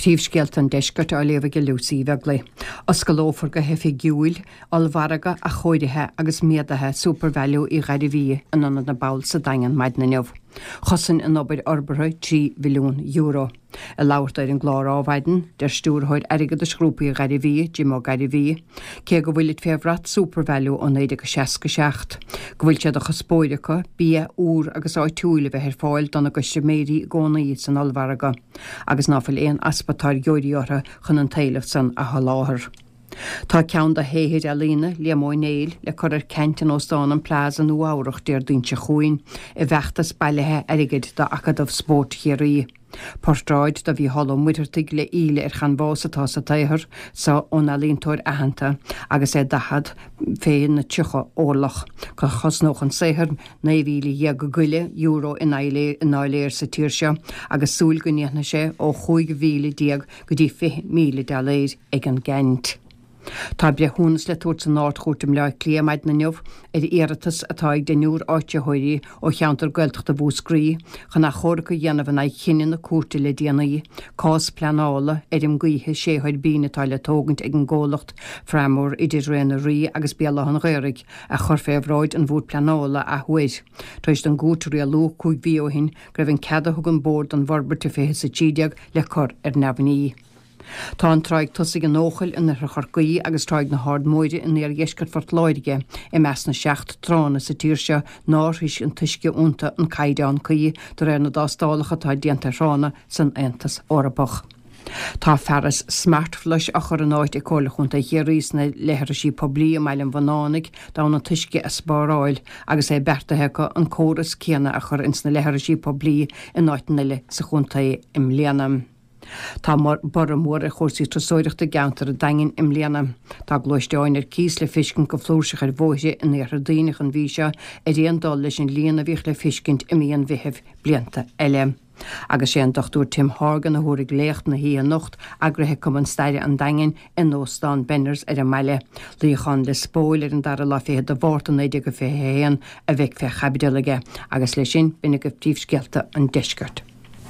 Príomhscéalta an Deiscirt á léamh ag Lucy Uí Bheaglaoich. Oscalófar go hoifigiúil ollmhargadh athchóirithe agus méadaithe Supervalu Uí Ghairbhí in Ionad na bPobal sa Daingean maidin inniu. Chosain an obair fhorbartha €3 mhilliún. Ag labhairt dó ar an gclár Ádhmhaidin, deir Stiúrthóir Airgeadais Ghrúpa Uí Ghairbhí, Jim Ó Gairbhí, cé go bhfuilid fé bhrat Supervalu ó 1967, go bhfuil sé de chuspóir acu bia úr agus áitiúil a bheith ar fáil dona gcustaiméirí i gcónaí san ollmhargadh agus ná fuil aon easpa táirgeoirí orthu chun an t-éileamh san a sholáthar. Tá ceann de shaothair ealaíne Liam Ó Néill le cur ar ceant in Óstán an Plaza, Nua Eabhrach, Déardaoin seo chugainn, i bhfeachtas bailithe airgid d'Acadamh Spóirt Chiarraí. Portráid de Mhícheál Ó Muircheartaigh le íle ar chanbhás atá sa tsaothar so ón ealaíontóir aitheanta agus é 40 fé na 30 orlach. Chosnódh an saothar €19,000 go leith i ndoiléir sa tír seo agus súil go ndéanfaidh sé ó 15,000 go dtí 20,000 doiléir ag an gceant. Tá breithiúnas le tabhairt san Ard-Chúirt i mBleá Cliath maidin inniu ar iarratas atá ag deichniúr áitritheoirí ó cheantar Gaeltachta Mhúscraí chun achomharc a dhéanamh in aghaidh chinneadh na cúirte le déanaí cás pleanála fheirm gaoithe sé thuirbín atá le tógaint ag an gcomhlacht Framor idir Ré na Rí agus Béal Átha an Ghaorthaidh a chur fé bhráid an Bhoird Pleanála athuair tar éis don gcúirt rialú 5 mhí ó shin go raibh an cead a thug an Bord don bhforbairt i 2013 le cur ar neamhní. Tá an Tráigh Tosaigh in Eochaill in oirthear Chorcaí agus Tráigh na hArd Móire in iardheisceart Phort Láirge i measc na seacht tránna sa tír seo nár shroich an t-uisce iontu an caighdeán cuí de réir na dtástálacha atá déanta ar thránna san Aontas Eorpach. Tá fearas Smartflush á chur in áit ag Comhairle Chontae Chiarraí sna leithrisí poiblí i mBaile an Bhunánaigh d'fhonn an t-uisce a spáráil agus é beartaithe acu an córas céanna a chur ins na leithrisí poiblí in áiteanna eile sa chontae i mbliana. Tá borradh mór ar chúrsaí turasóireachta i gceantar an Daingin i mbliana. Tá gluaisteáin ar cíos le feiscint go flúirseach ar bhóithre in iarthar Duibhneach an mhí seo ar aon dul leis an líon a bhíodh le feiscint i mí an Mheithimh blianta eile. Agus sé an Dr Tim Horgan a thabharfaidh léacht na hoíche anocht, eagraithe ag Cumann Staire an Daingin in Óstán Benners ar an mbaile. Luíochán Lios Póil ar an dara lá fichead de Mhárta 1921 a bheidh fé chaibidil aige. Agus leis sin, b'in agaibh príomhscéalta an deiscirt.